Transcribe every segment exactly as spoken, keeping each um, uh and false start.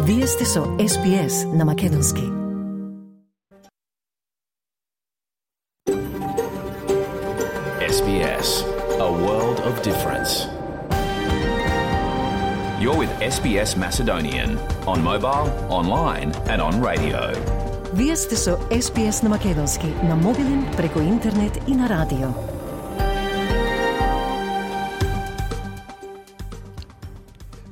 Вие сте со Ес Би Ес на македонски. Ес Би Ес, a world of difference. You're with Ес Би Ес Macedonian on mobile, online and on radio. Вие сте со Ес Би Ес на македонски, на мобилен, преку интернет и на радио.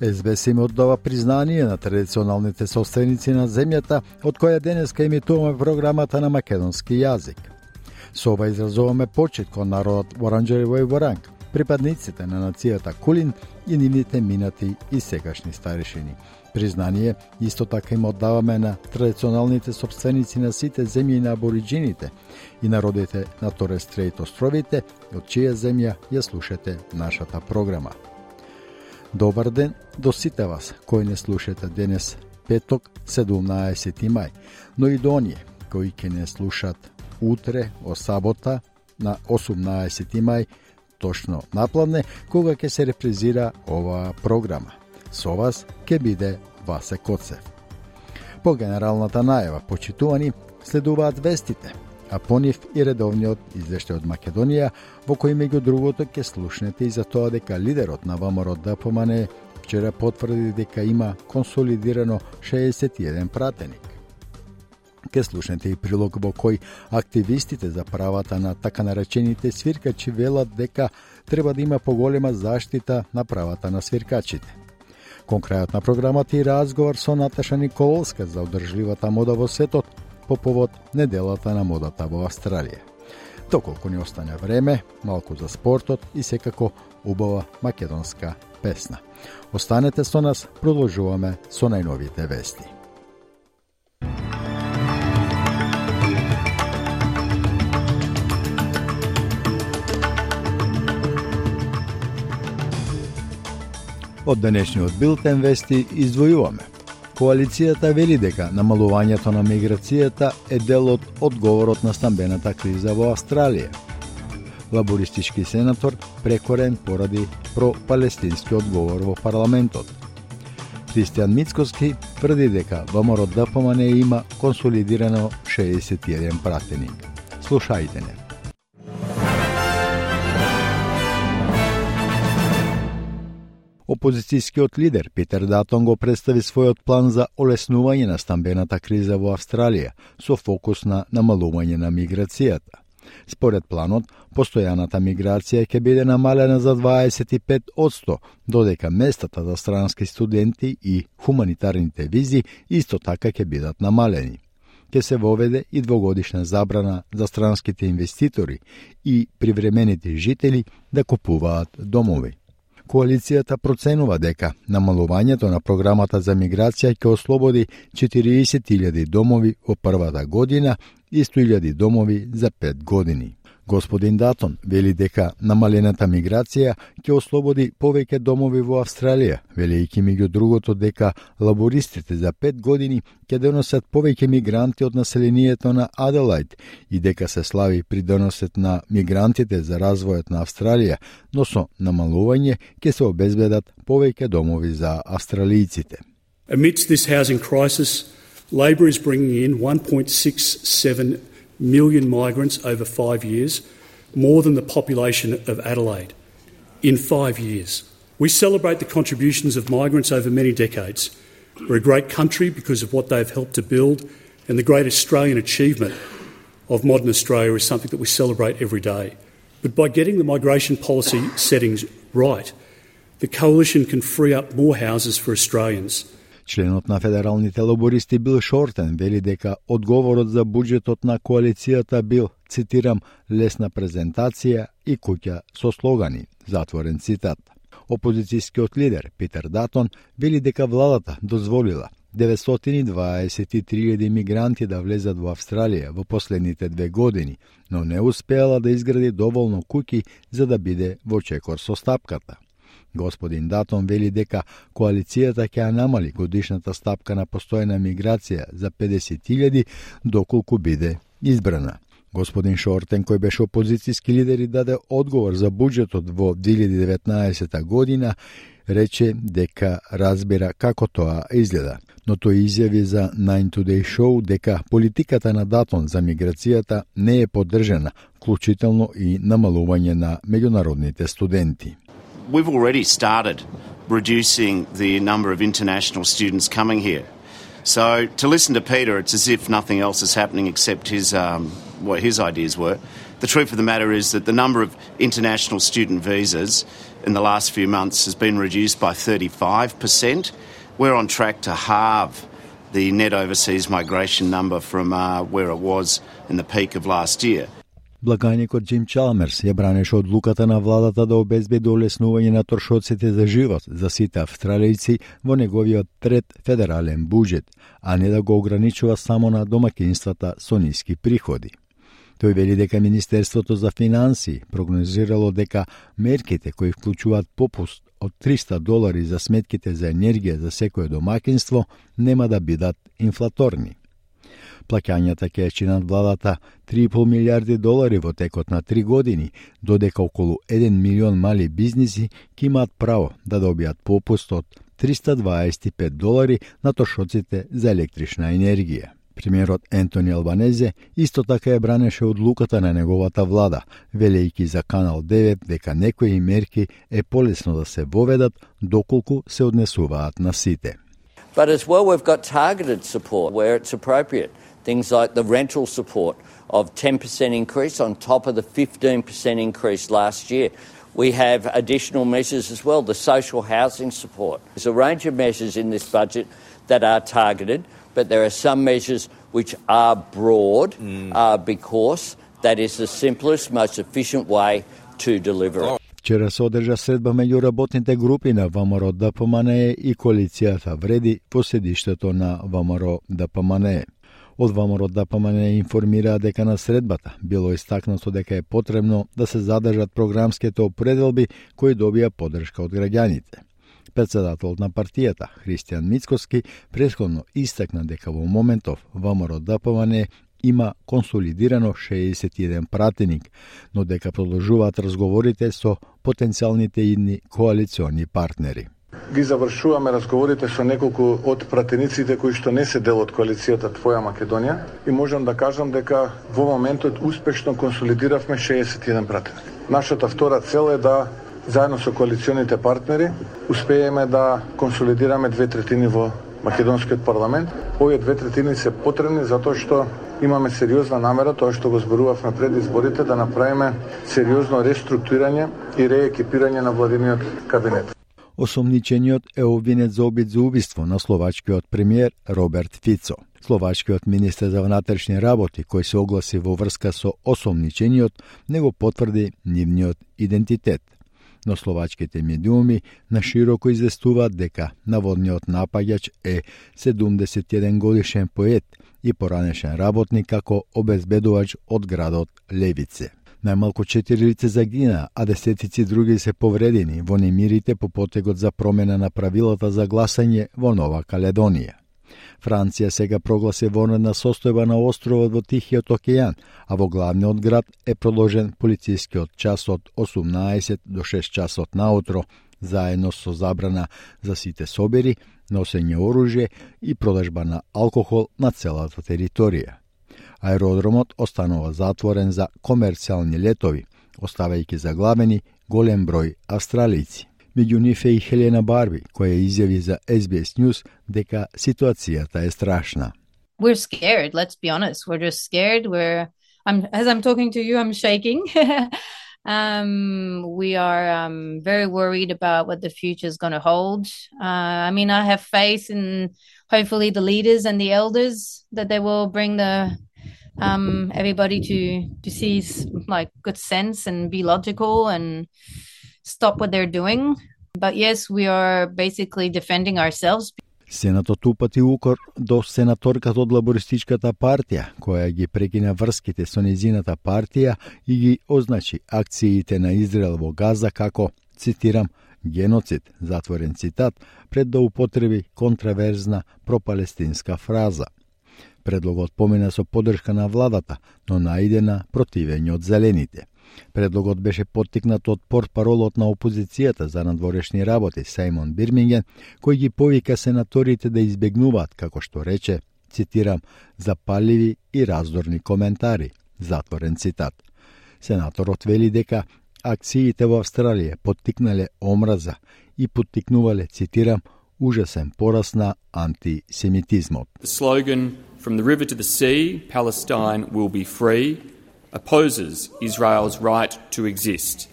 Ес Би Ес им оддава признание на традиционалните собственици на земјата, од која денеска емитуваме програмата на македонски јазик. Со ова изразуваме почит кон народот Воранџарево и Воранг, припадниците на нацијата Кулин и нивните минати и сегашни старешини. Признание исто така им оддаваме на традиционалните собственици на сите земји на абориджините и народите на Торес Стрейт островите, од чија земја ја слушате нашата програма. Добар ден до сите вас кои не слушате денес петок седумнаесети мај, но и до оние кои ќе не слушат утре о сабота на осумнаесети мај, точно напладне, кога ќе се репризира оваа програма. Со вас ќе биде Васе Коцев. По генералната најава, почитувани, следуваат вестите, а по нив и редовниот извештај од Македонија, во кој меѓу другото ќе слушнете и за тоа дека лидерот на ВМРО Д П М Н вчера потврди дека има консолидирано шеесет и еден пратеник. Ке слушнете и прилог во кој активистите за правата на така наречените свиркачи велат дека треба да има поголема заштита на правата на свиркачите. Кон крајот на програмата и разговор со Наташа Николовска за одржливата мода во светот по повод неделата на модата во Австралија. Доколку ни остане време, малку за спортот и секако убава македонска песна. Останете со нас, продолжуваме со најновите вести. Од денешниот билтен вести издвојуваме. Коалицијата вели дека намалувањето на миграцијата е дел од одговорот на стамбената криза во Австралија. Лабористички сенатор прекорен поради про-палестински одговор во парламентот. Христијан Мицкоски тврди дека ВМРО Д П М Н има консолидирано шеесет и еден пратеник. Слушајте не. Опозицијскиот лидер Питер Датон го представи својот план за олеснување на стамбената криза во Австралија со фокус на намалување на миграцијата. Според планот, постојаната миграција ќе биде намалена за дваесет и пет одсто, додека местата за странски студенти и хуманитарните визи исто така ќе бидат намалени. Ќе се воведе и двогодишна забрана за странските инвеститори и привремените жители да купуваат домови. Коалицијата проценува дека намалувањето на програмата за миграција ќе ослободи четириесет илјади домови во првата година и сто илјади домови за пет години. Господин Датон вели дека намалената миграција ќе ослободи повеќе домови во Австралија, велејќи меѓу другото дека лабористите за пет години ќе донесат повеќе мигранти од населението на Аделајд и дека се слави придоносот на мигрантите за развојот на Австралија, но со намалување ќе се обезбедат повеќе домови за австралијците. Amidst this housing crisis, Labor is bringing in one point six seven million migrants over five years, more than the population of Adelaide. In five years. We celebrate the contributions of migrants over many decades. We're a great country because of what they've helped to build, and the great Australian achievement of modern Australia is something that we celebrate every day. But by getting the migration policy settings right, the Coalition can free up more houses for Australians. Членот на федералните лабористи Бил Шортен вели дека одговорот за буџетот на коалицијата бил, цитирам, лесна презентација и куќа со слогани, затворен цитат. Опозицијскиот лидер Питер Датон вели дека владата дозволила деветстотини и дваесет и три илјади мигранти да влезат во Австралија во последните две години, но не успеала да изгради доволно куќи за да биде во чекор со стапката. Господин Датон вели дека коалицијата ќе ја намали годишната стапка на постојна миграција за педесет илјади доколку биде избрана. Господин Шортен, кој беше опозицијски лидер и даде одговор за буџетот во две илјади и деветнаесета година, рече дека разбира како тоа изгледа, но тој изјави за Nine Today Show дека политиката на Датон за миграцијата не е поддржана, вклучително и намалување на меѓународните студенти. We've already started reducing the number of international students coming here. So to listen to Peter, it's as if nothing else is happening except his um, what his ideas were. The truth of the matter is that the number of international student visas in the last few months has been reduced by thirty-five percent. We're on track to halve the net overseas migration number from uh, where it was in the peak of last year. Благаникот Джим Чалмерс ја бранеше одлуката на владата да обезбеди олеснување на трошоците за живот за сите австралијци во неговиот трет федерален буџет, а не да го ограничува само на домаќинствата со ниски приходи. Тој вели дека Министерството за финансии прогнозирало дека мерките кои вклучуваат попуст од триста долари за сметките за енергија за секое домаќинство нема да бидат инфлаторни. Плаќањата ќе чинат владата три и пол милиарди долари во текот на три години, додека околу еден милион мали бизниси ќе имаат право да добијат попуст од триста дваесет и пет долари на трошоците за електрична енергија. Премиерот Ентони Албанезе исто така ја бранеше одлуката на неговата влада, велејќи за Канал девет дека некои мерки е полесно да се воведат доколку се однесуваат на сите. But as well, we've got targeted support where it's appropriate. Things like the rental support of ten percent increase on top of the fifteen percent increase last year. We have additional measures as well, the social housing support. There's a range of measures in this budget that are targeted, but there are some measures which are broad mm. uh, because that is the simplest, most efficient way to deliver it. Вчера се одржа средба меѓу работните групи на ВМРО ДПМНЕ и коалицијата Вреди во седиштето на ВМРО ДПМНЕ. Од ВМРО ДПМНЕ информираа дека на средбата било истакнато дека е потребно да се задржат програмските определби кои добија поддршка од граѓаните. Председателот на партијата, Христијан Мицкоски, претходно истакна дека во моментов ВМРО ДПМНЕ има консолидирано шеесет и еден пратеник, но дека продолжуваат разговорите со потенцијалните идни коалициони партнери. Ги завршуваме разговорите со неколку од пратениците кои што не се дел од коалицијата Твоја Македонија и можам да кажам дека во моментот успешно консолидиравме шеесет и еден пратеник. Нашата втора цел е да заедно со коалиционите партнери успееме да консолидираме две третини во македонскиот парламент. Овие две третини се потребни затоа што имаме сериозна намера, тоа што го зборувавме пред изборите, да направиме сериозно реструктурирање и реекипирање на владиниот кабинет. Осомничениот е обвинет за обид за убиство на словачкиот премиер Роберт Фицо. Словачкиот министер за внатрешни работи, кој се огласи во врска со осомничениот, не го потврди нивниот идентитет. Но словачките медиуми нашироко известуваат дека наводниот напаѓач е седумдесет и еден годишен поет и поранешен работник како обезбедувач од градот Левице. Најмалку четири лица загина, а десетици други се повредени во немирите по потегот за промена на правилата за гласање во Нова Каледонија. Франција сега прогласи вонредна состојба на островот во Тихиот океан, а во главниот град е продолжен полицискиот час од осумнаесет до шест часот наутро, заедно со забрана за сите собери, носење оружје и продажба на алкохол на целата територија. Аеродромот останува затворен за комерцијални летови, оставајќи заглавени голем број австралијци. Меѓу нив е и Хелена Барби, која изјави за Ес Би Ес News дека ситуацијата е страшна. We're scared, let's be honest. We're just scared. We're I'm as I'm talking to you, I'm shaking. um we are um very worried about what the future is going to hold. Uh, I mean, I have faith in hopefully the leaders and the elders that they will bring the um everybody to to see like good sense and be logical and stop what they're doing. But yes, we are basically defending ourselves. Сенатот упати укор до сенаторката од лабористичката партија, која ги прекина врските со незината партија и ги означи акциите на Израел во Газа како, цитирам, геноцид, затворен цитат, пред да употреби контраверзна пропалестинска фраза. Предлогот помина со поддршка на владата, но најде на противење од зелените. Предлогот беше поттикнат од портпаролот на опозицијата за надворешни работи Сајмон Бирминген, кој ги повика сенаторите да избегнуваат, како што рече, цитирам, запаливи и раздорни коментари, затворен цитат. Сенаторот вели дека акциите во Австралија поттикнале омраза и поттикнувале, цитирам, ужасен пораст на антисемитизмот. The slogan "From the river to the sea, Palestine will be free" opposes Israel's right to exist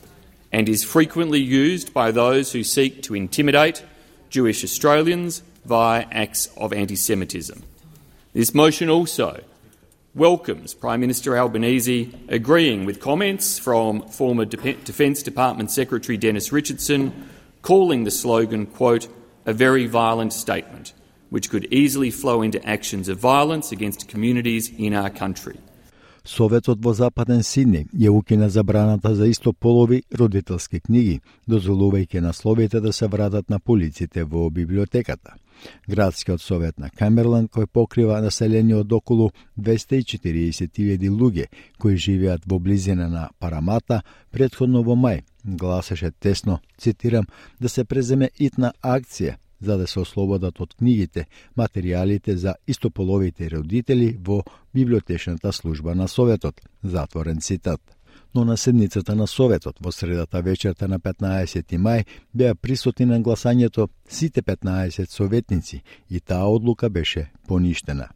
and is frequently used by those who seek to intimidate Jewish Australians via acts of anti-Semitism. This motion also welcomes Prime Minister Albanese agreeing with comments from former De- Defence Department Secretary Dennis Richardson, calling the slogan, quote, a very violent statement, which could easily flow into actions of violence against communities in our country. Советот во Западен Сидни ја укина забраната за истополови родителски книги, дозволувајќи насловите да се вратат на полиците во библиотеката. Градскиот совет на Камберленд, кој покрива население од околу двесте и четириесет илјади луѓе кои живеат во близина на Парамата, претходно во мај гласеше тесно, цитирам, да се преземе итна акција за да се ослободат од книгите материјалите за истополовите родители во библиотечната служба на Советот, затворен цитат. Но на седницата на Советот во средата вечерта на петнаесети мај беа присутни на гласањето сите петнаесет советници и таа одлука беше поништена.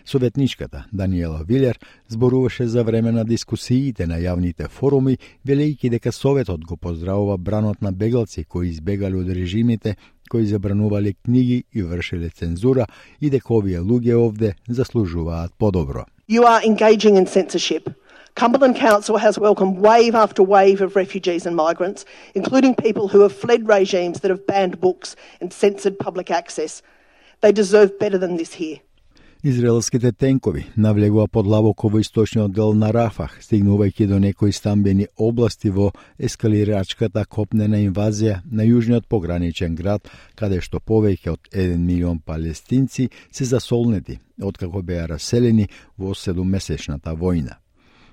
Советничката Даниела Вилер зборуваше за време на дискусиите на јавните форуми, велејќи дека Советот го поздравува бранот на бегалци кои избегали од режимите, кои забранувале книги и вршеле цензура и дека овие луѓе овде заслужуваат подобро. You are engaging in censorship. Cumberland Council has welcomed wave after wave of refugees and migrants, including people who have fled regimes that have banned books and censored public access. They deserve better than this here. Израелските тенкови навлегува подлабоко во источниот дел на Рафах, стигнувајќи до некои стамбени области во ескалирачката копнена инвазија на јужниот пограничен град, каде што повеќе од еден милион палестинци се засолнети, откако беа раселени во седуммесечната војна.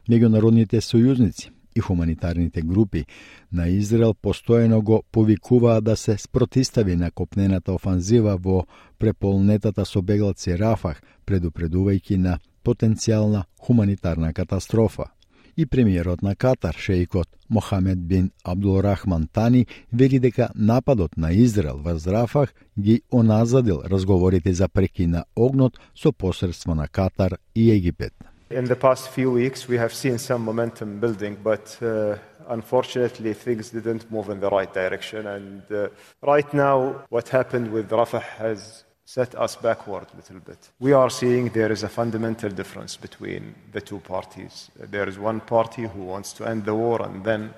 Меѓународните сојузници и хуманитарните групи на Израел постојано го повикуваат да се спротистави на копнената офанзива во преполнетата со бегалци Рафах, предупредувајќи на потенцијална хуманитарна катастрофа. И премиерот на Катар, шеикот Мохамед бин Абдулрахман Тани, вели дека нападот на Израел врз Рафах ги оназадил разговорите за прекин на огнот со посредство на Катар и Египет. In the past few weeks, we have seen some momentum building, but uh, unfortunately, things didn't move in the right direction. And uh, right now, what happened with Rafah has set us backward a little bit. We are seeing there is a fundamental difference between the two parties. There is one party who wants to end the war and then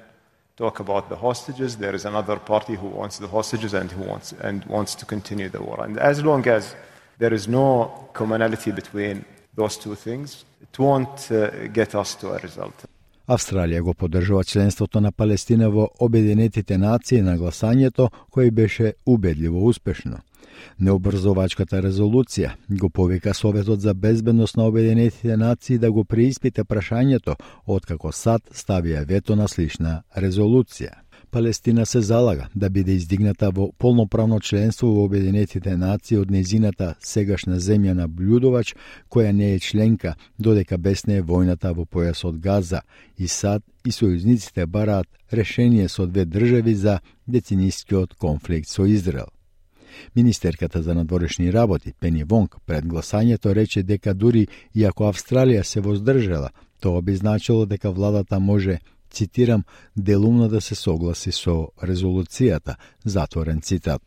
talk about the hostages. There is another party who wants the hostages and who wants and wants to continue the war. And as long as there is no commonality between those two things, it won't uh, get us to a result. Австралија го поддржува членството на Палестина во Обединетите нации на гласањето, кој беше убедливо успешно. Необрзовачката резолуција го повика Советот за безбедност на Обединетите нации да го преиспита прашањето, откако САД ставија вето на слична резолуција. Палестина се залага да биде издигната во полноправно членство во Обединетите нации од незината сегашна земја наблюдувач, која не е членка, додека бесне е војната во појасот Газа, и САД и сојузниците бараат решение со две држави за деценискиот конфликт со Израел. Министерката за надворешни работи Пени Вонг пред гласањето рече дека дури и ако Австралија се воздржала, тоа би значило дека владата може, цитирам, делумно да се согласи со резолуцијата, затворен цитат.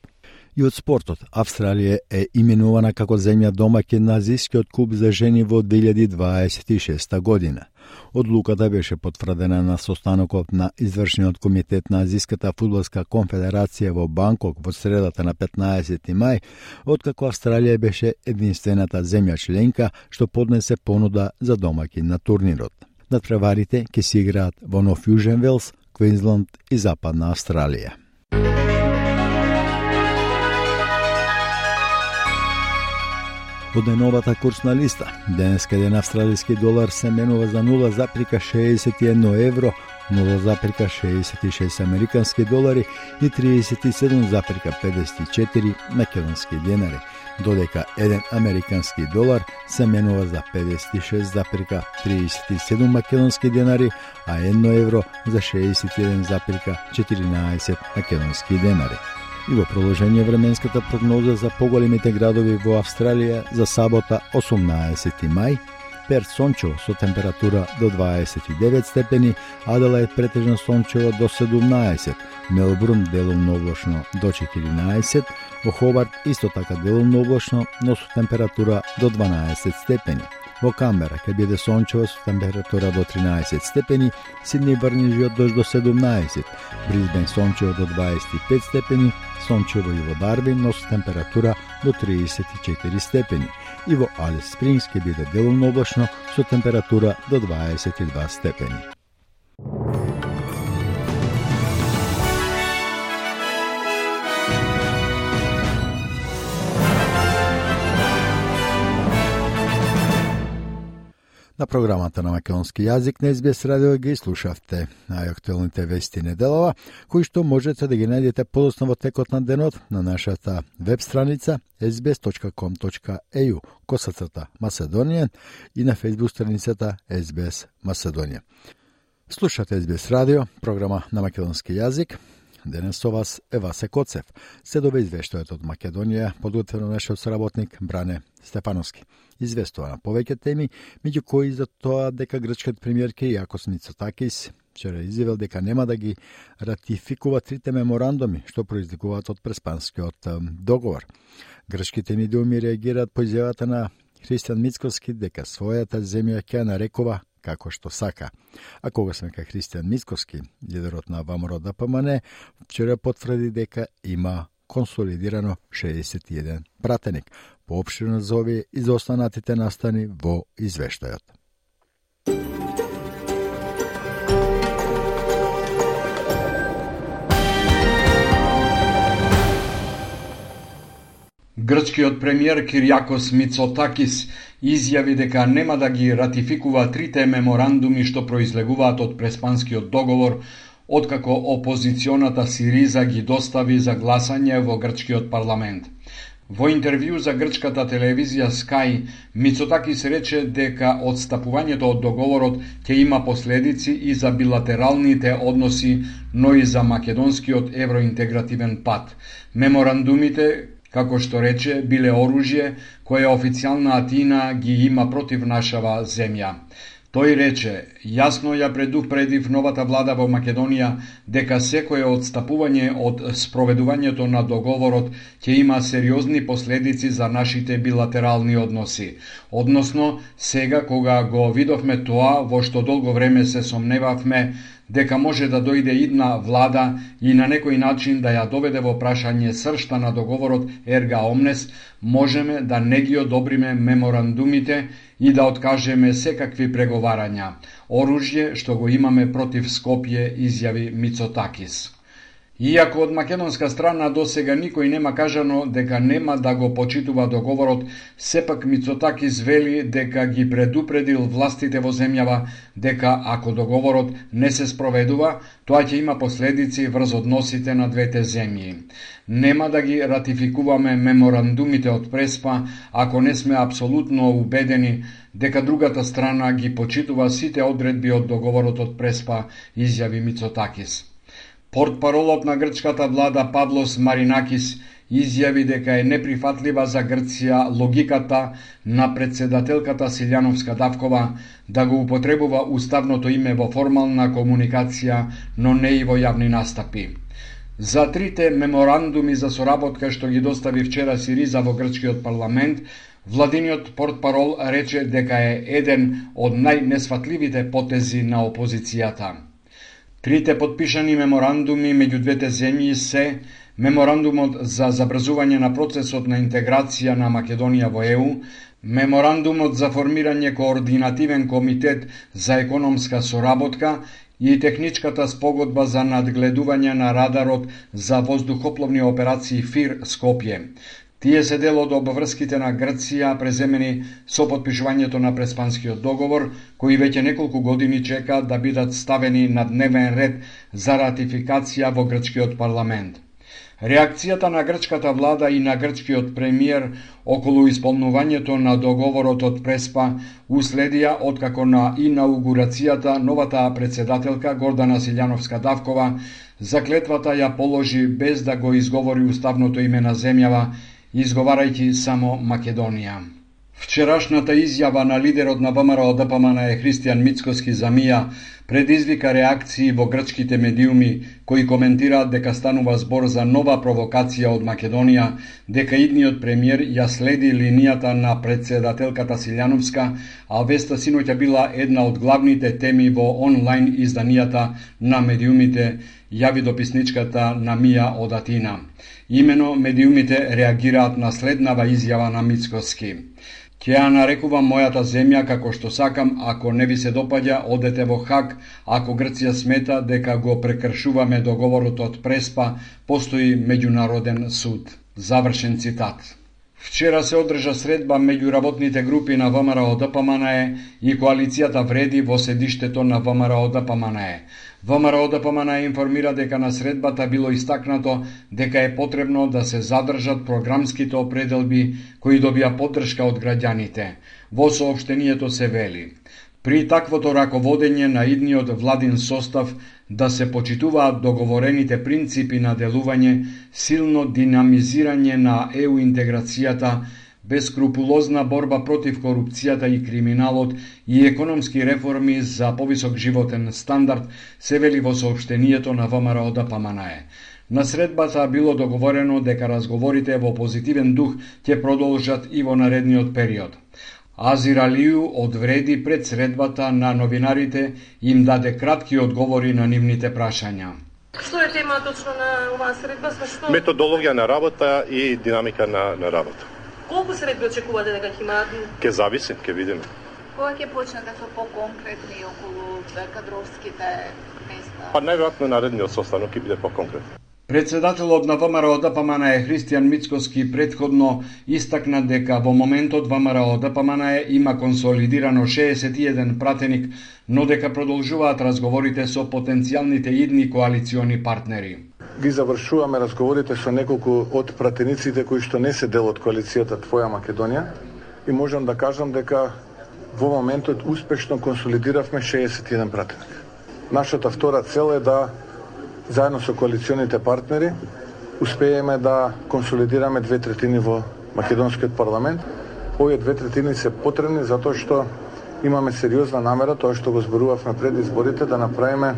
И од спортот, Австралија е именувана како земја домаќин на Азискиот куп за жени во две илјади дваесет и шеста година. Одлуката беше потврдена на состанокот на извршниот комитет на Азиската фудбалска конфедерација во Банкок во средата на петнаесети мај, откако Австралија беше единствената земја членка што поднесе понуда за домаќин на турнирот. Надпреварите ќе се играат во Нов Јужен Велс, Квинсленд и Западна Австралија. Од најновата курсна листа, денеска еден австралиски долар се менува за нула запирка шеесет и едно евро, нула запирка шеесет и шест американски долари и триесет и седум запирка педесет и четири македонски денари, додека еден американски долар се менува за педесет и шест запирка триесет и седум македонски денари, а едно евро за шеесет и еден запирка четиринаесет македонски денари. И во продолжение временската прогноза за поголемите градови во Австралија за сабота осумнаесети мај, Перт сончево со температура до дваесет и девет степени, Аделаид претежно сончево до седумнаесет, Мелбурн делумно облачно до четиринаесет, во Хобарт исто така делумно облачно, но со температура до дванаесет степени. Во Камбера ќе биде сончево со температура до тринаесет степени, Сидни врнежи од дожд до седумнаесет, Брисбен сончево до дваесет и пет степени, сончево и во Дарвин, но со температура до триесет и четири степени. И во Алис Спрингс ќе биде делумно облачно со температура до дваесет и два степени. На програмата на македонски јазик на Ес Би Ес радио ги слушавте најактуелните вести неделова, кои што можете да ги најдете подоцна во текот на денот на нашата веб страница ес би ес точка ком точка е ю косацрта Macedonian и на фејсбук страницата Ес Би Ес Macedonian. Слушате Ес Би Ес радио, програма на македонски јазик. Денес со вас е Васе Коцев. Следува извештајот од Македонија, подготвено нашиот соработник Бране Стефановски. Известува на повеќе теми, меѓу кои за тоа дека грчкиот премиер Киријакос Мицотакис вчера изјавил дека нема да ги ратификува трите меморандуми што произлегуваат од Преспанскиот договор. Грчките медиуми реагираат по изјавата на Христијан Мицкоски дека својата земја ќе ја нарекува како што сака. А кога сме ка Христијан Мицкоски, лидерот на ВМРО Д П М Н, вчера потврди дека има консолидирано шеесет и еден пратеник. Поопштирно за овие и за останатите настани во извештајот. Грчкиот премиер Киријакос Мицотакис изјави дека нема да ги ратификува трите меморандуми што произлегуваат од Преспанскиот договор, откако опозиционата Сириза ги достави за гласање во грчкиот парламент. Во интервју за грчката телевизија Sky, Мицотакис рече дека одстапувањето од договорот ќе има последици и за билатералните односи, но и за македонскиот евроинтегративен пат. Меморандумите, како што рече, биле оружје кое официјална Атина ги има против нашава земја. Тој рече, јасно ја предупредив новата влада во Македонија дека секое одстапување од спроведувањето на договорот ќе има сериозни последици за нашите билатерални односи. Односно, сега кога го видовме тоа во што долго време се сомневавме дека може да дојде идна влада и на некој начин да ја доведе во прашање сршта на договорот Ерга Омнес, можеме да не ги одобриме меморандумите и да откажеме секакви преговарања. Оружје што го имаме против Скопје, изјави Мицотакис. Иако од македонска страна досега никој нема кажано дека нема да го почитува договорот, сепак Мицотакис вели дека ги предупредил властите во земјава дека ако договорот не се спроведува, тоа ќе има последици врз односите на двете земји. Нема да ги ратификуваме меморандумите од Преспа ако не сме апсолутно убедени дека другата страна ги почитува сите одредби од договорот од Преспа, изјави Мицотакис. Портпаролот на грчката влада Павлос Маринакис изјави дека е неприфатлива за Грција логиката на председателката Силјановска Давкова да го употребува уставното име во формална комуникација, но не и во јавни настапи. За трите меморандуми за соработка што ги достави вчера Сириза во грчкиот парламент, владиниот портпарол рече дека е еден од најнесфатливите потези на опозицијата. Трите подпишани меморандуми меѓу двете земји се Меморандумот за забрзување на процесот на интеграција на Македонија во Е У, Меморандумот за формирање координативен комитет за економска соработка и техничката спогодба за надгледување на радарот за воздухопловни операции ФИР Скопје. Тие се дел од обврските на Грција преземени со подпишувањето на Преспанскиот договор, кои веќе неколку години чека да бидат ставени на дневен ред за ратификација во грчкиот парламент. Реакцијата на грчката влада и на грчкиот премиер околу исполнувањето на договорот од Преспа уследија откако на инаугурацијата новата председателка Гордана Силјановска-Давкова заклетвата ја положи без да го изговори уставното име на земјава, изговарајќи само Македонија. Вчерашната изјава на лидерот на ВМРО Д П М Н е Христијан Мицкоски за Мија предизвика реакции во грчките медиуми кои коментираат дека станува збор за нова провокација од Македонија, дека идниот премиер ја следи линијата на председателката Силјановска, а веста синоќа била една од главните теми во онлайн изданијата на медиумите, јави дописничката на Мија од Атина. Имено медиумите реагираат на следнава изјава на Мицкоски. Ќе ја нарекувам мојата земја како што сакам, ако не ви се допаѓа, одете во Хаг, ако Грција смета дека го прекршуваме договорот од Преспа, постои меѓународен суд. Завршен цитат. Вчера се одржа средба меѓу работните групи на ВМРО Д П М Н Е и коалицијата Вреди во седиштето на ВМРО Д П М Н Е. ВМРО Д П М Н Е информира дека на средбата било истакнато дека е потребно да се задржат програмските определби кои добија поддршка од граѓаните. Во соопштението се вели: при таквото раководење на идниот владин состав да се почитуваат договорените принципи на делување, силно динамизирање на Е У интеграцијата, бескрупулозна борба против корупцијата и криминалот и економски реформи за повисок животен стандард, се вели во соопштението на ВМРО Д П М Н Е. На средбата било договорено дека разговорите во позитивен дух ќе продолжат и во наредниот период. Азир Алију од Вреди пред средбата на новинарите им даде кратки одговори на нивните прашања. Што е тема точно на оваа средба? Што... Методологија на работа и динамика на, на работа. Колку средби очекувате дека ќе имаат? Ке зависи, ке видиме. Кога ќе почнат да се по-конкретни околу кадровските места? Па најверојатно наредниот состанок ќе биде по-конкретен. Председателот на ВМРО Д П М Н Е Христијан Мицкоски предходно истакна дека во моментот ВМРО Д П М Н Е има консолидирано шеесет и еден пратеник, но дека продолжуваат разговорите со потенцијалните идни коалициони партнери. Ги завршуваме разговорите со неколку од пратениците кои што не се дел од коалицијата Твоја Македонија и можам да кажам дека во моментот успешно консолидиравме шеесет и еден пратеник. Нашата втора цел е да заедно со коалиционите партнери успееме да консолидираме две третини во македонскиот парламент. Овие две третини се потребни затоа што имаме сериозна намера, тоа што го зборувавме пред изборите, да направиме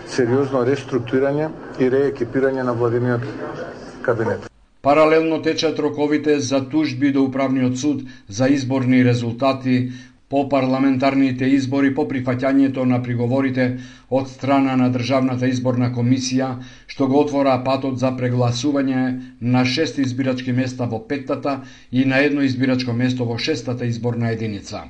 сериозно реструктурирање и реекипирање на владиниот кабинет. Паралелно течат роковите за тужби до Управниот суд за изборни резултати по парламентарните избори по прифаќањето на приговорите од страна на Државната изборна комисија, што го отвора патот за прегласување на шест избирачки места во петтата и на едно избирачко место во шестата изборна единица.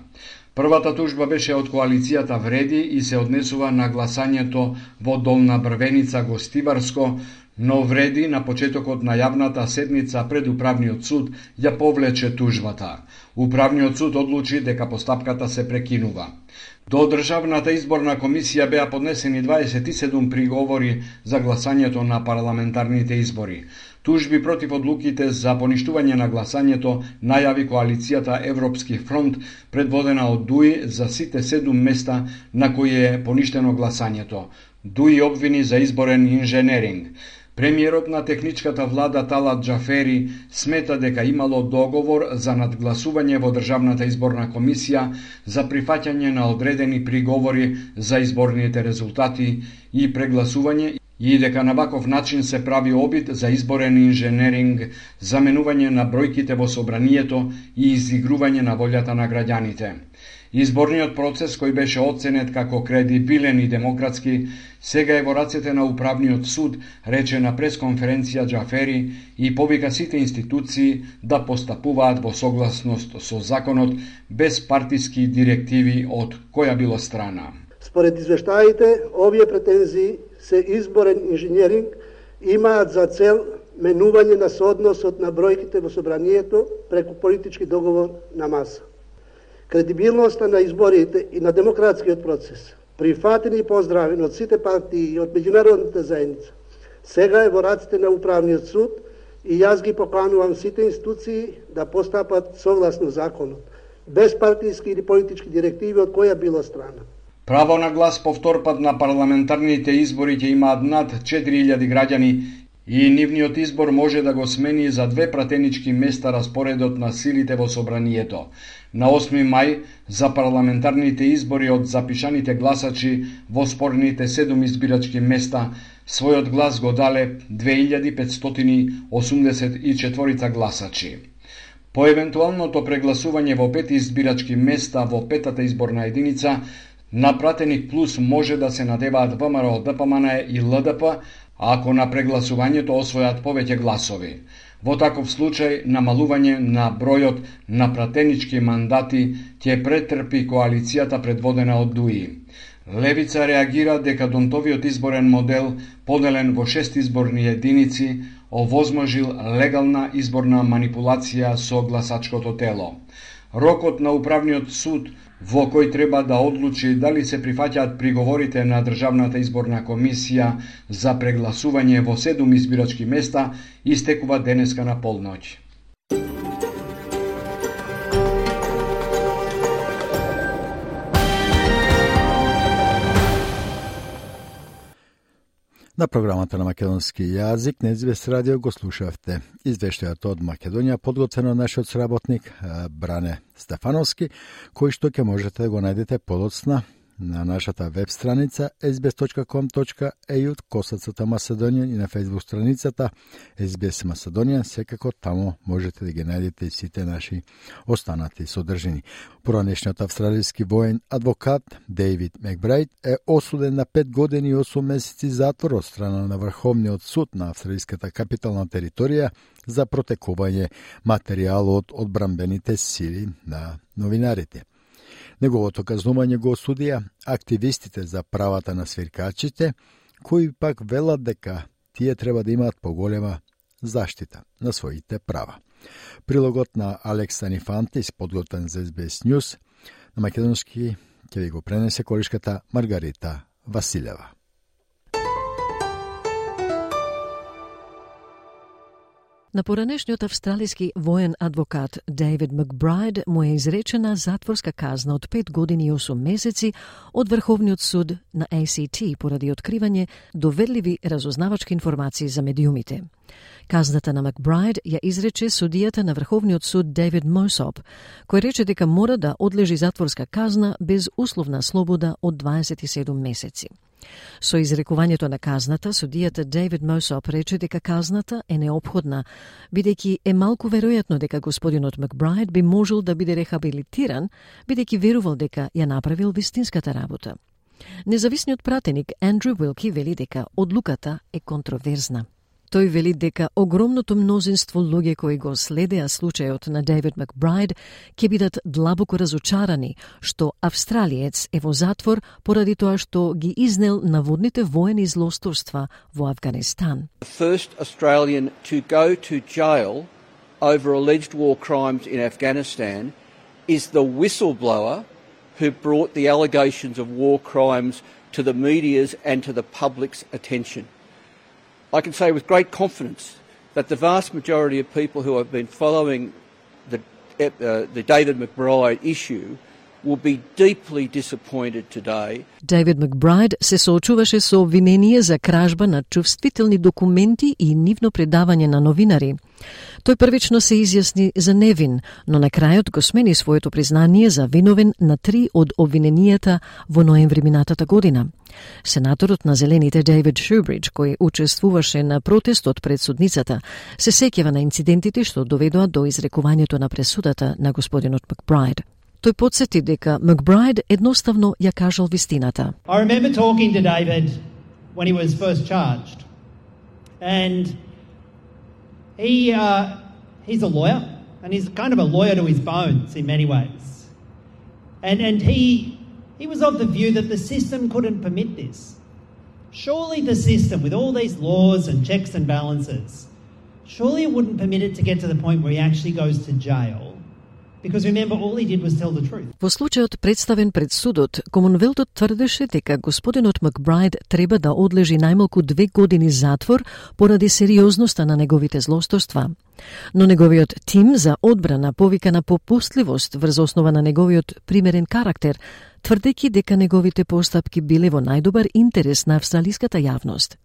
Првата тужба беше од коалицијата Вреди и се однесува на гласањето во Долна Брвеница, Гостиварско, но Вреди на почетокот на јавната седница пред Управниот суд ја повлече тужбата. Управниот суд одлучи дека постапката се прекинува. До Државната изборна комисија беа поднесени дваесет и седум приговори за гласањето на парламентарните избори. Тужби против одлуките за поништување на гласањето најави коалицијата Европски фронт, предводена од ДУИ, за сите седум места на кои е поништено гласањето. ДУИ обвини за изборен инженеринг. Премиерот на техничката влада Талат Џафери смета дека имало договор за надгласување во Државната изборна комисија за прифаќање на одредени приговори за изборните резултати и прегласување и дека на ваков начин се прави обид за изборен инженеринг, заменување на бројките во собранието и изигрување на волјата на граѓаните. Изборниот процес, кој беше оценет како кредибилен и демократски, сега е во рацете на Управниот суд, рече на пресконференција Џафери и повика сите институции да постапуваат во согласност со законот без партиски директиви од која било страна. Според извештаите, овие претензии се изборен инженеринг имаат за цел менување на соодносот на бројките во собранието преку политички договор на маса. Кредибилноста на изборите и на демократскиот процес, прифатени и поздравени од сите партии и од меѓународната заедница, сега е во раците на Управниот суд и јас ги поканувам сите институции да постапат согласно законот, без партиски или политички директиви од која било страна. Право на глас по втор пат на парламентарните избори ќе имаат над четири илјади граѓани и нивниот избор може да го смени за две пратенички места распоредот на силите во собранието. На осми мај за парламентарните избори од запишаните гласачи во спорните седум избирачки места својот глас го дале две илјади петстотини осумдесет и четири гласачи. По евентуалното прегласување во пет избирачки места во петата изборна единица, на пратеник плюс може да се надеваат ВМРО, ДПМН и ЛДП, ако на прегласувањето освојат повеќе гласови. Во таков случај, намалување на бројот на пратенички мандати ќе претрпи коалицијата предводена од ДУИ. Левица реагира дека Донтовиот изборен модел, поделен во шест изборни единици, овозможил легална изборна манипулација со гласачкото тело. Рокот на Управниот суд во кој треба да одлучи дали се прифаќаат приговорите на Државната изборна комисија за прегласување во седум избирачки места истекува денеска на полноќ. На програмата на македонски јазик на Ес Би Ес радио го слушавте извештајот од Македонија, подготвено од нашиот сработник Бране Стефановски, кој што ќе можете да го најдете подоцна на нашата веб страница ес би ес точка ком точка е ю косацата Macedonian и на фејсбук страницата Ес Би Ес Macedonian. Секако таму можете да ги најдете и сите наши останати содржини. Поранешниот австралиски воен адвокат Дейвид Макбрайд е осуден на пет години и осум месеци затвор од страна на Врховниот суд на австралиската капитална територија за протекување материјал од одбранбените сили на новинарите. Неговото казнување го осудија активистите за правата на свиркачите, кои пак велат дека тие треба да имаат поголема заштита на своите права. Прилогот на Алекс Станифантис, подготвен за Ес Би Ес News, на македонски ќе ви го пренесе колишката Маргарита Василева. На поранешниот австралиски воен адвокат Дейвид Макбрайд му е изречена затворска казна од пет години и осум месеци од Врховниот суд на Ей Си Ти поради откривање доверливи разузнавачки информации за медиумите. Казната на Макбрайд ја изрече судијата на Врховниот суд Дейвид Мосоп, кој рече дека мора да одлежи затворска казна без условна слобода од дваесет и седум месеци. Со изрекувањето на казната, судијата Дейвид Мосоп рече дека казната е неопходна, бидејќи е малку веројатно дека господинот Макбрайд би можел да биде рехабилитиран, бидејќи верувал дека ја направил вистинската работа. Независниот пратеник Андрю Уилки вели дека одлуката е контроверзна. Тој вели дека огромното мнозинство луѓе кои го следеа случајот на Дейвид Макбрайд ќе бидат длабоко разочарани што австралиец е во затвор поради тоа што ги изнел наводните воени злосторства во Афганистан. The first Australian to go to jail over alleged war crimes in Afghanistan is the whistleblower who brought the allegations of war crimes to the media's and to the public's attention. I can say with great confidence that the vast majority of people who have been following the, uh, the David McBride issue will be deeply disappointed today. Дейвид Макбрайд се соочуваше со обвинение за кражба на чувствителни документи и нивно предавање на новинари. Тој првично се изјасни за невин, но на крајот го смени своето признание за виновен на три од обвиненијата во ноември минатата година. Сенаторот на Зелените Дейвид Шубридж, кој учествуваше на протестот пред судницата, се сеќава на инцидентите што доведоа до изрекувањето на пресудата на господинот Макбрайд. Тој подсети дека Макбрайд едноставно ја кажал вистината. I remember talking to David when he was first charged. And he uh, he's a lawyer, and he's kind of a lawyer to his bones in many ways. And and he he was of the view that the system couldn't permit this. Surely the system, with all these laws and checks and balances, surely it wouldn't permit it to get to the point where he actually goes to jail. Because remember, all he did was tell the truth. Во случајот представен пред судот, Комонвелтот тврдеше дека господинот Макбрайд треба да одлежи најмалку две години затвор поради сериозноста на неговите злосторства. Но неговиот тим за одбрана повика на попустливост врз основа на неговиот примерен карактер, тврдејќи дека неговите постапки биле во најдобар интерес на австралиската јавност.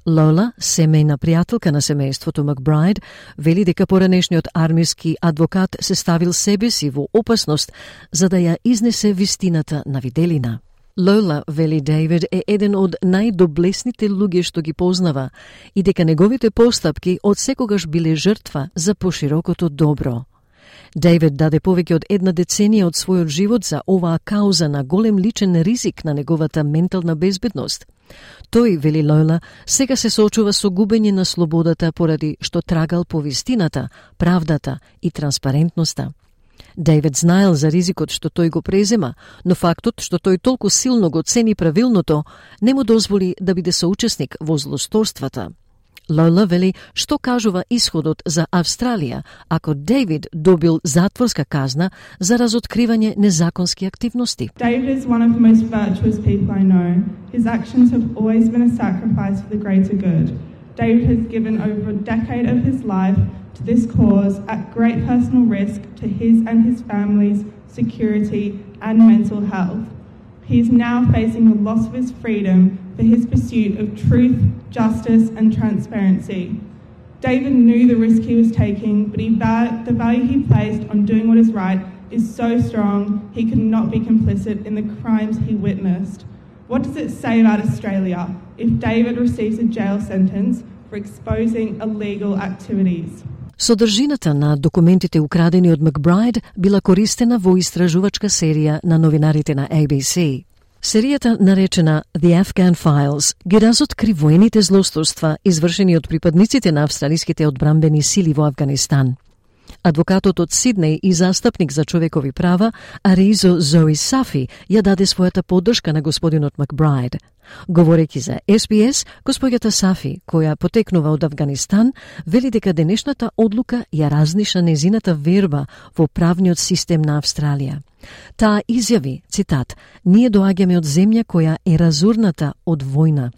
Лола, семејна пријателка на семејството Макбрайд, вели дека поранешниот армиски адвокат се ставил себе си во опасност за да ја изнесе вистината на виделина. Лола вели Дейвид е еден од најдоблесните луѓе што ги познава и дека неговите постапки од секогаш биле жртва за поширокото добро. Дейвид даде повеќе од една деценија од својот живот за оваа кауза на голем личен ризик на неговата ментална безбедност. Тој, вели Лола, сега се соочува со губење на слободата поради што трагал по вистината, правдата и транспарентноста. Дейвид знаел за ризикот што тој го презема, но фактот што тој толку силно го цени правилното не му дозволи да биде соучесник во злосторствата. Лола вели што кажува исходот за Австралија ако Дейвид добил затворска казна за разоткривање незаконски активности. David is one of the most virtuous people I know. His actions have always been a sacrifice for the greater good. David has given over a decade of his life to this cause at great personal risk to his and his family's security and mental health. He is now facing the loss of his freedom for his pursuit of truth, justice and transparency. David knew the risk he was taking, but he val- the value he placed on doing what is right is so strong he could not be complicit in the crimes he witnessed. What does it say about Australia if David receives a jail sentence for exposing illegal activities? Содржината на документите украдени од Макбрайд била користена во истражувачка серија на новинарите на A B C. Серијата, наречена The Afghan Files, ги разоткри воените злосторства извршени од припадниците на австралиските одбранбени сили во Авганистан. Адвокатот од Сиднеј и застапник за човекови права, Аризо Зои Сафи, ја даде својата поддршка на господинот Макбрайд. Говорејќи за S B S, господјата Сафи, која потекнува од Авганистан, вели дека денешната одлука ја разниша незината верба во правниот систем на Австралија. Таа изјави, цитат, "Ние доаѓаме од земја која е разурната од војна.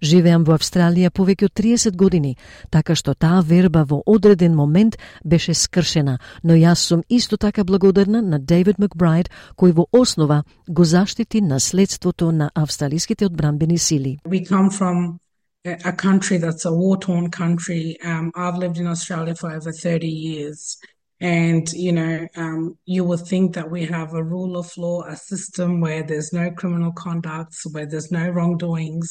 Живеам во Австралија повеќе од триесет години, така што таа верба во одреден момент беше скршена, но јас сум исто така благодарна на Дейвид Макбрайд, кој во основа го заштити наследството на австралиските одбранбени сили." We come from a country that's a war-torn country. Um, I've lived in Australia for over thirty years. And, you know, um, you would think that we have a rule of law, a system where there's no criminal conduct, where there's no wrongdoings,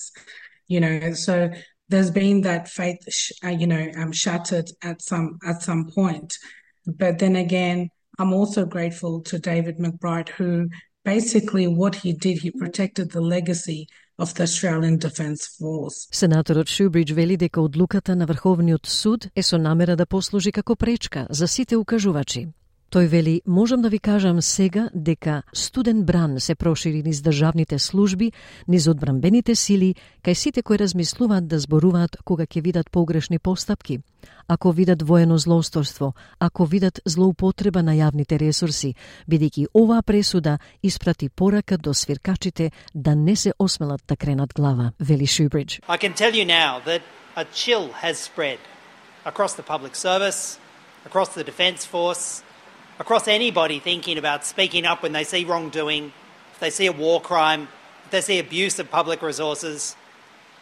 you know. So there's been that faith, sh- uh, you know, um, shattered at some at some point. But then again, I'm also grateful to David Macbride, who basically what he did, he protected the legacy of the Australian Defence Force. Сенаторот Шубридж вели дека одлуката на Врховниот суд е со намера да послужи како пречка за сите укажувачи. Тој вели, можам да ви кажам сега дека студен бран се прошири низ државните служби, низ одбранбените сили, кај сите кои размислуваат да зборуваат кога ќе видат погрешни постапки, ако видат воено злоусторство, ако видат злоупотреба на јавните ресурси, бидејќи оваа пресуда испрати порака до свиркачите да не се осмелат да кренат глава, вели Шубридж. I can tell you now that a chill has spread across the public service, across the Defence Force, across anybody thinking about speaking up when they see wrongdoing, if they see a war crime, if they see abuse of public resources,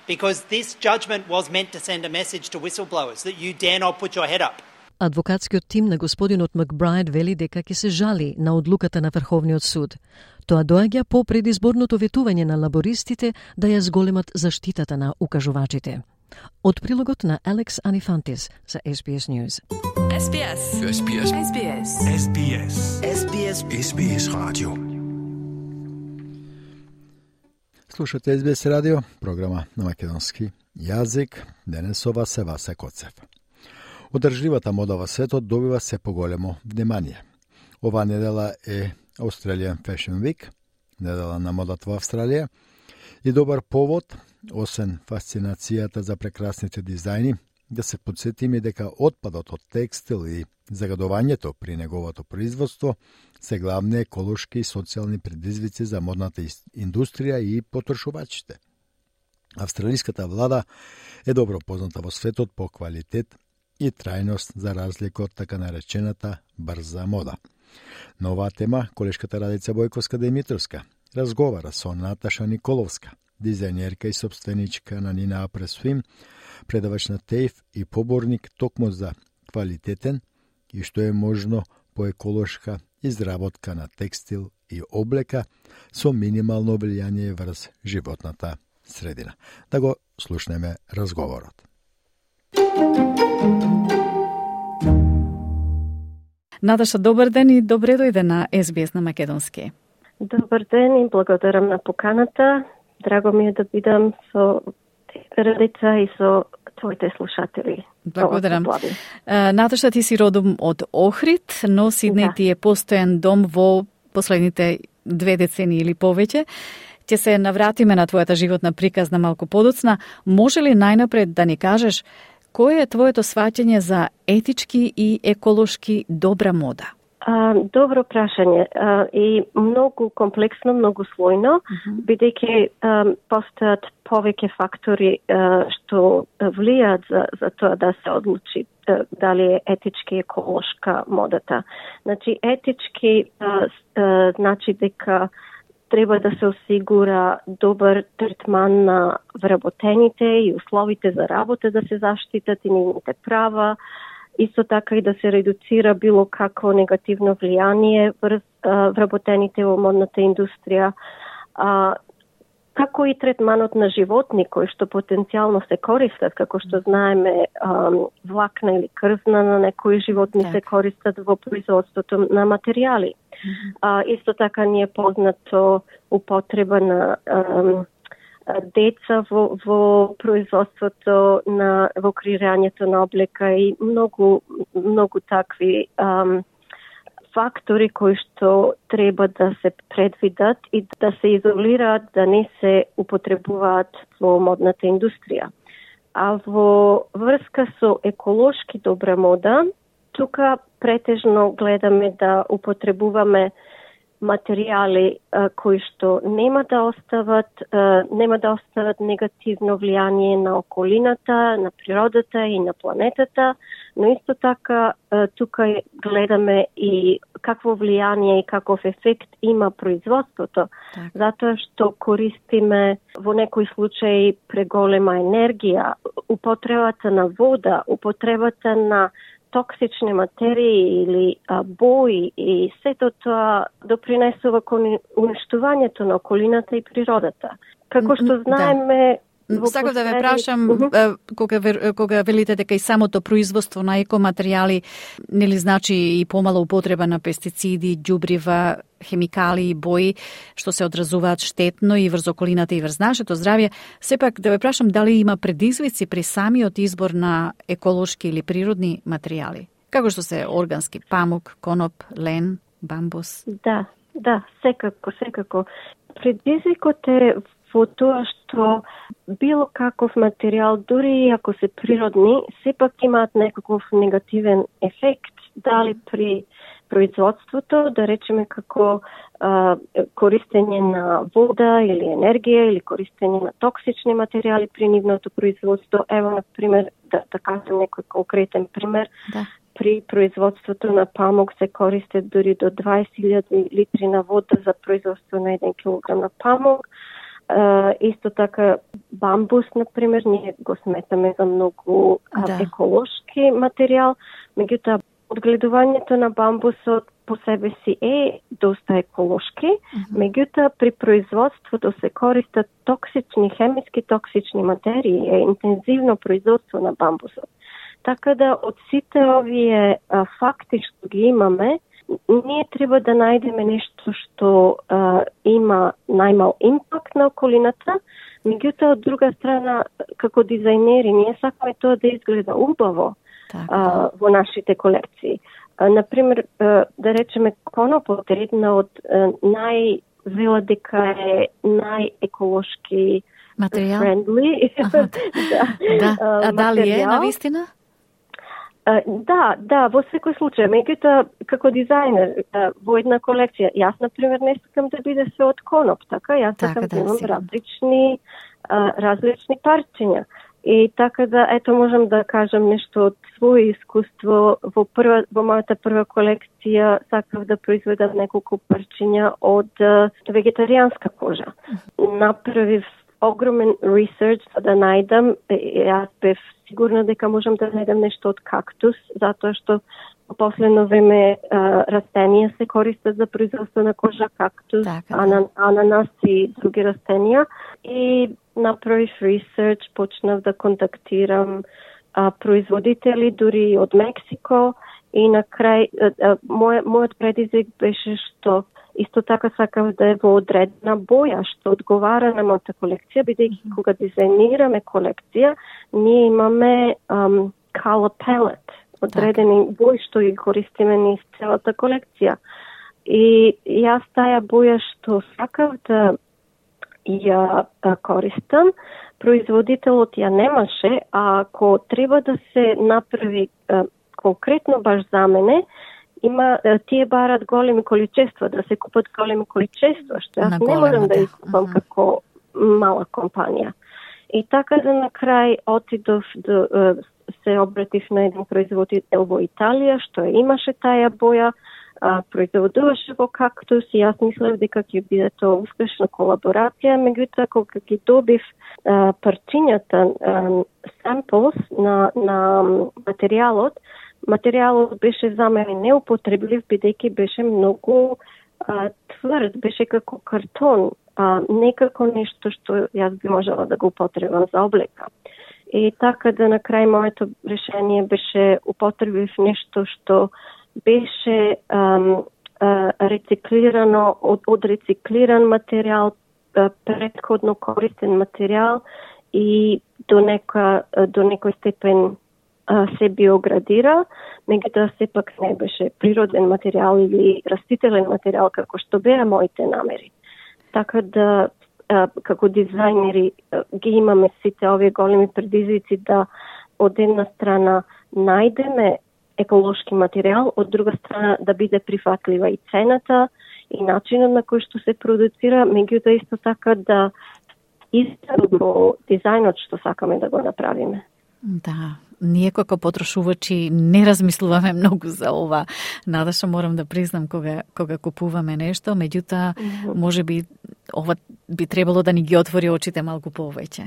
because this judgment was meant to send a message to whistleblowers that you dare not put your head up. Адвокатскиот тим на господинот Макбрайд вели дека ќе се жали на одлуката на Врховниот суд. Тоа доаѓа по предизборното ветување на лабористите да ја зголемат заштитата на укажувачите. Од прилогот на Алекс Анифантис за S B S News. S B S. S B S. S B S. S B S. S B S. S B S Radio. Слушате S B S радио, програма на македонски јазик. Денес ова се Васе Коцев. Одржливата мода во светот добива се поголемо внимание. Ова недела е Australian Fashion Week, недела на модата во Австралија, и добар повод, освен фасцинацијата за прекрасните дизајни, да се подсетиме дека отпадот од текстил и загадувањето при неговото производство се главни еколошки и социјални предизвици за модната индустрија и потрошувачите. Австралиската влада е добро позната во светот по квалитет и трајност за разлика од така наречената брза мода. На оваа тема колешката Радица Бојковска-Димитровска разговара со Наташа Николовска, дизајнерка и собственичка на Nina Apres Swim, предавач на ТЕЙФ и поборник токму за квалитетен и што е можно по еколошка изработка на текстил и облека со минимално влијание врз животната средина. Да го слушнеме разговорот. Наташа, добар ден и добре дојде на Ес Би Ес на македонски. Добар ден и благодарам на поканата. Драго ми е да бидам со Радица и со твоите слушатели. Благодарам. Наташа, ти си родом од Охрид, но Сиднеј да. ти е постојан дом во последните две децении или повеќе. Ќе се навратиме на твојата животна приказна малку подоцна. Може ли најнапред да ни кажеш кој е твоето сваќање за етички и еколошки добра мода? А, добро прашање а, и многу комплексно, многу слојно, mm-hmm. бидејќи постојат повеќе фактори а, што влијаат за, за тоа да се одлучи а, дали е етички и еколошка модата. Значи, етички а, а, значи дека треба да се осигура добар третман на вработените и условите за работа да се заштитат и нивните права, исто така и да се редуцира било какво негативно влијание врз вработените во модната индустрија, а, како и третманот на животни кои што потенцијално се користат, како што знаеме а, влакна или крвна на некои животни так. се користат во производството на материјали. Mm-hmm. А, исто така ни е познато употреба на а, деца во, во производството на во креирањето на облека и многу многу такви ам, фактори кои што треба да се предвидат и да се изолираат да не се употребуваат во модната индустрија. А во врска со еколошки добра мода, тука претежно гледаме да употребуваме материјали а, кои што нема да остават а, нема да остават негативно влијание на околината, на природата и на планетата, но исто така а, тука гледаме и какво влијание и каков ефект има производството, так. затоа што користиме во некои случаи преголема енергија, употребата на вода, употребата на токсични материи или а, бои и сето тоа допринесува кон уништувањето на околината и природата. Како што знаеме... Да. Сакав да ве прашам, uh-huh. кога, кога велите дека и самото производство на екоматеријали нели значи и помала употреба на пестициди, ѓубрива, хемикали и бои, што се одразуваат штетно и врз околината и врз нашето здравје, сепак да ве прашам дали има предизвици при самиот избор на еколошки или природни материјали, како што се органски памук, коноп, лен, бамбус? Да, да, секако, секако. Предизвикот е во тоа што било каков материјал, дури и ако се природни, сепак имаат некаков негативен ефект, дали при производството, да речеме како а, користење на вода или енергија или користење на токсични материјали при нивното производство. Ево, на пример, да, да кажем некој конкретен пример, да. При производството на памук се користат дури до дваесет илјади литри на вода за производство на еден килограм на памук. Uh, исто така бамбус, например, ние го сметаме за многу да. еколошки материјал, меѓутоа одгледувањето на бамбусот по себе си е доста еколошки, mm-hmm. меѓутоа при производството се користат токсични, хемиски токсични материи, е интензивно производство на бамбусот. Така да од сите овие а, факти што ги имаме, ние треба да најдеме нешто што а, има најмал импакт на околината, меѓутоа од друга страна, како дизајнери, ние сакаме тоа да изгледа убаво а, во нашите колекции. А, например, а, да речеме, конопот е една од највела дека е најеколошки материјал friendly. Аха. Да, а дали е навистина? Да, да, во секој случај. Меѓутоа, како дизајнер, во една колекција, јас, например, не сакам да биде све од коноп, така? Јас сакам да, да имам различни, различни парчиња. И така да, ето, можам да кажам нешто од своје искуство. Во, прва, во мојата прва колекција сакав да произведам неколку парчиња од вегетаријанска кожа. Направив огромен ресерч за да најдам, јас бев сигурна дека можам да најдам нешто од кактус, затоа што во последно време а, растенија се користат за производство на кожа, кактус, така, анан, ананас и други растенија. И направив ресерч, почнав да контактирам а, производители дури од Мексико и на крај а, а, мој, мојот предизвик беше што исто така сакав да е во одредена боја, што одговара на мојата колекција, бидејќи mm-hmm. кога дизајнираме колекција, ние имаме um, color palette, одредени бои што ги користиме низ целата колекција. И јас таа боја што сакав да ја користам, производителот ја немаше, а ако треба да се направи а, конкретно баш за мене, има тие барат големи количества, да се купат големи количества, што јас не можам да искупам uh-huh. како мала компанија. И така да на крај отидов да се обратив на еден производител во Италија, што имаше таа боја, а, производуваше во кактус и јас мислев дека ќе биде тоа успешна колаборација, меѓутоа кога ги добив а, парчињата, а, samples на, на материјалот, материјалот беше за мене неупотреблив, бидејќи беше многу а, тврд, беше како картон, а, не како нешто што јас би можела да го употребам за облека. И така да на крај моето решение беше употребив нешто што беше ам, а, рециклирано од, од рециклиран материјал, а, претходно користен материјал и до нека до некој степен се биоградира, меѓутоа сепак не беше природен материјал или растителен материјал како што беа моите намери. Така да како дизајнери ги имаме сите овие големи предизвици да од една страна најдеме еколошки материјал, од друга страна да биде прифатлива и цената и начинот на кој што се продуцира, меѓутоа исто така да изгледа во дизајнот што сакаме да го направиме. Да, ние како потрошувачи не размислуваме многу за ова. Надаша, морам да признам кога кога купуваме нешто, меѓутоа mm-hmm. можеби ова би требало да ни ги отвори очите малку повеќе.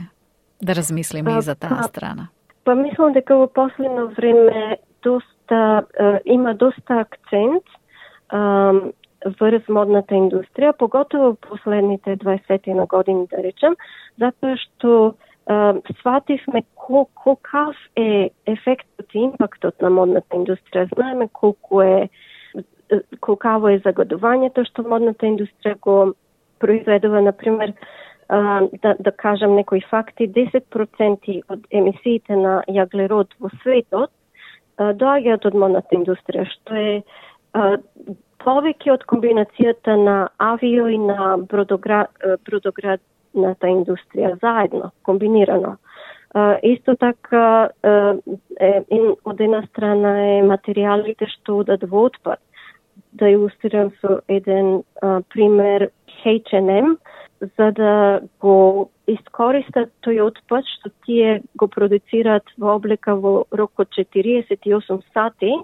Да размислиме и за таа страна. Па мислам дека во последно време доста е, има доста акцент е, врз модната индустрија, поготово последните дваесет на години, да речем, затоа што Uh, свативме колкав е ефектот и импактот на модната индустрија. Знаеме колку е колкаво е загадувањето што модната индустрија го произведува, например, uh, да, да кажам некои факти, десет проценти од емисиите на јаглерод во светот uh, доаѓаат од модната индустрија, што е uh, повеќе од комбинацијата на авио и на бродоград, бродоград ната индустрија заедно, комбинирано. Uh, исто така, uh, е, од една страна е материјалите што одат во отпад. Да илустрирам со еден uh, пример H and M, за да го искористат тој отпад што тие го продуцираат во облека во рок од четириесет и осум сати,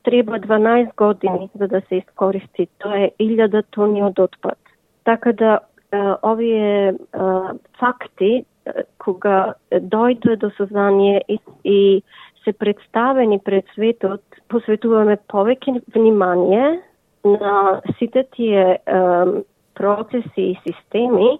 треба дванаесет години за да се искористи. Тоа е илјада тони од отпад. Така да Uh, овие uh, факти, uh, кога дојде до сознание и, и се представени пред светот, посветуваме повеќе внимание на сите тие uh, процеси и системи,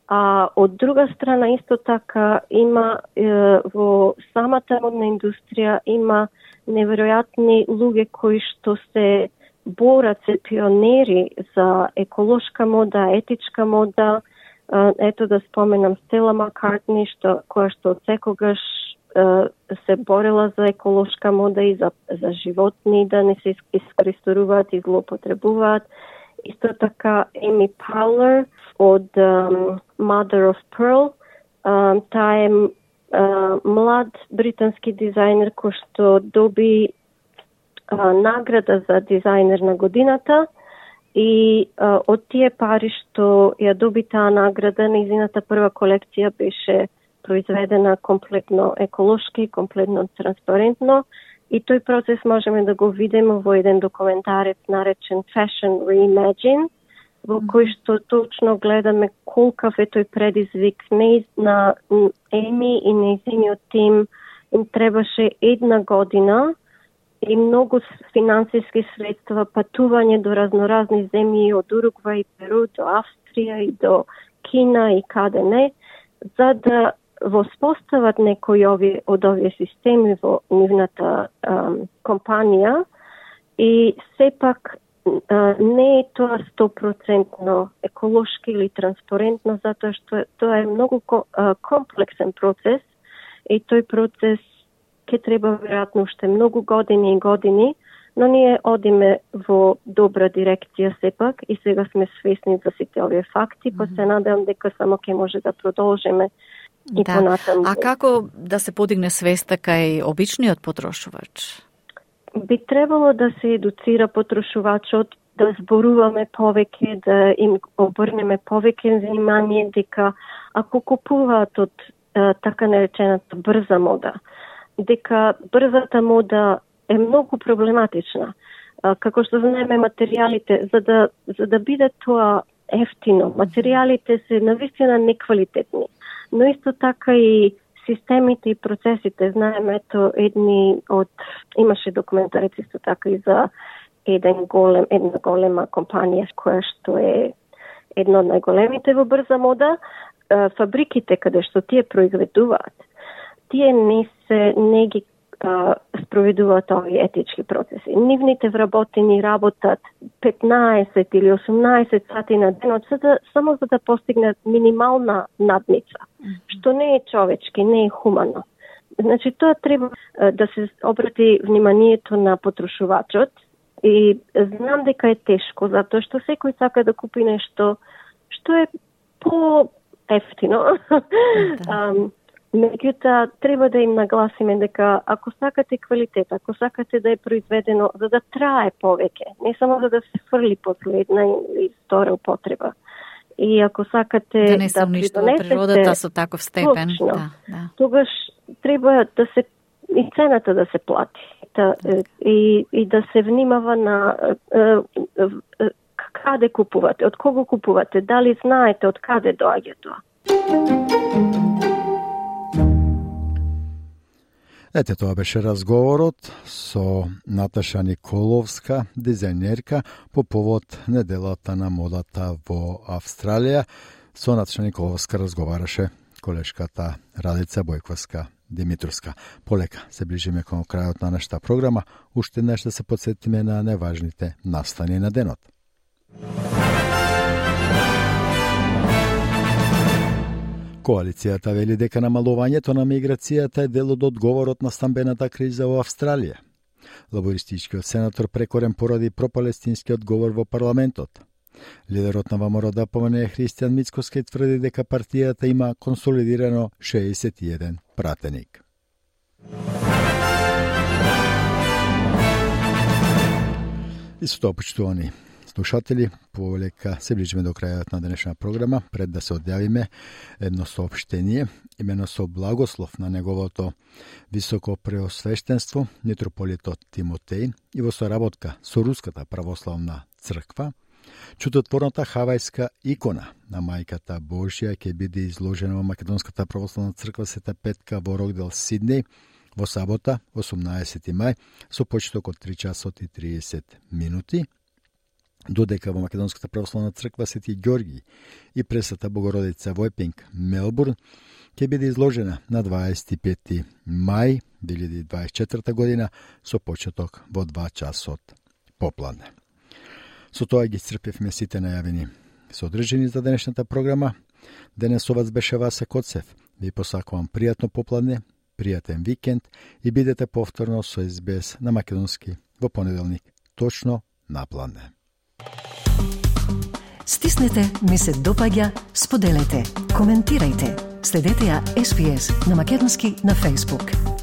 а од друга страна исто така има uh, во самата модна индустрија има неверојатни луѓе кои што се борат, се пионери за еколошка мода, етичка мода. Ето да споменам Стела Маккартни, што, која што од секогаш се борела за еколошка мода и за, за животни да не се искористуваат и злоупотребуваат. Исто така Еми Паулер од um, Mother of Pearl, А, таа е а, млад британски дизајнер кој што доби а, награда за дизајнер на годината и а, од тие пари што ја доби таа награда, нејзината прва колекција беше произведена комплетно еколошки, комплетно транспарентно и тој процес можеме да го видиме во еден документарец наречен Fashion Reimagine, во кој што точно гледаме колкав е тој предизвик. Не на Еми и нејзиниот тим им требаше една година и многу финансиски средства, патување до разноразни земји, од Уругвај и Перу до Австрија и до Кина и каде не, за да воспостават некои ови, од овие системи во нивната ам, компанија и сепак а, не е тоа сто проценти еколошки или транспарентно, затоа што тоа е многу а, комплексен процес и тој процес ќе треба веројатно уште многу години и години, но ние одиме во добра дирекција сепак и сега сме свесни за сите овие факти, па се надевам дека само ќе може да продолжиме и да. понатаму. А како да се подигне свеста кај обичниот потрошувач? Би требало да се едуцира потрошувачот, да зборуваме повеќе, да им обрнеме повеќе внимание дека ако купуваат од а, така наречената брза мода, дека брзата мода е многу проблематична. А, како што знаеме материјалите, за да за да биде тоа ефтино, материјалите се навистина неквалитетни. Но исто така и системите и процесите, знаеме, ето едни од, имаше документарец исто така и за еден голем, една голема компанија која што е една од најголемите во брза мода, фабриките каде што тие произведуваат, тие не се не ги а, спроведуваат овие етички процеси. Нивните вработени работат петнаесет или осумнаесет сати на денот, за да, само за да постигнат минимална надница, mm-hmm. што не е човечки, не е хумано. Значи, тоа треба а, да се обрати вниманието на потрошувачот и знам дека е тешко, затоа што секој сака да купи нешто што е по-ефтино. Mm-hmm. Меѓутоа, треба да им нагласиме дека ако сакате квалитет, ако сакате да е произведено за да трае повеќе, не само за да се фрли после една или втора употреба. И ако сакате да не се уништува природата со таков степен, точно, да, да. тогаш треба да се и цената да се плати. Да, и, и да се внимава на каде купувате, од кого купувате, дали знаете од каде доаѓа тоа. Ете, тоа беше разговорот со Наташа Николовска, дизајнерка, по повод неделата на модата во Австралија. Со Наташа Николовска разговараше колешката Радица Бојковска Димитровска. Полека се ближиме кон крајот на нашата програма. Уште нешто се подсетиме на неважните настани на денот. Коалицијата вели дека намалувањето на миграцијата е дел од одговорот на стамбената криза во Австралија. Лабористичкиот сенатор прекорен поради пропалестинскиот говор во парламентот. Лидерот на ВМРО да помене Христијан Мицкоски тврди дека партијата има консолидирано шеесет и еден пратеник. И со тоа, почитувани слушатели, полека се ближиме до крајот на денешна програма. Пред да се одјавиме, едно соопштение, имено со благослов на неговото високо преосвештенство, митрополитот Тимотеј, и во соработка со Руската православна црква, чудотворната хавајска икона на Мајката Божја ќе биде изложена во Македонската православна црква Света Петка во Рокдел, Сиднеј, во сабота, осумнаесети мај, со почеток од три часот и триесет минути, додека во Македонската православна црква Свети Ѓорги и Пресвета Богородица во Епинг, Мелбурн, ќе биде изложена на дваесет и пети мај две илјади дваесет и четврта година со почеток во два часот попладне. Со тоа ги исцрпевме сите најавени содржини за денешната програма. Денесовац беше Васе Коцев. Ви посакувам пријатно попладне, пријатен викенд и бидете повторно со Ес Би Ес на македонски во понеделник, точно на пладне. Стиснете, ми се допаѓа, споделете, коментирајте. Следете ја Ес Би Ес на македонски на Facebook.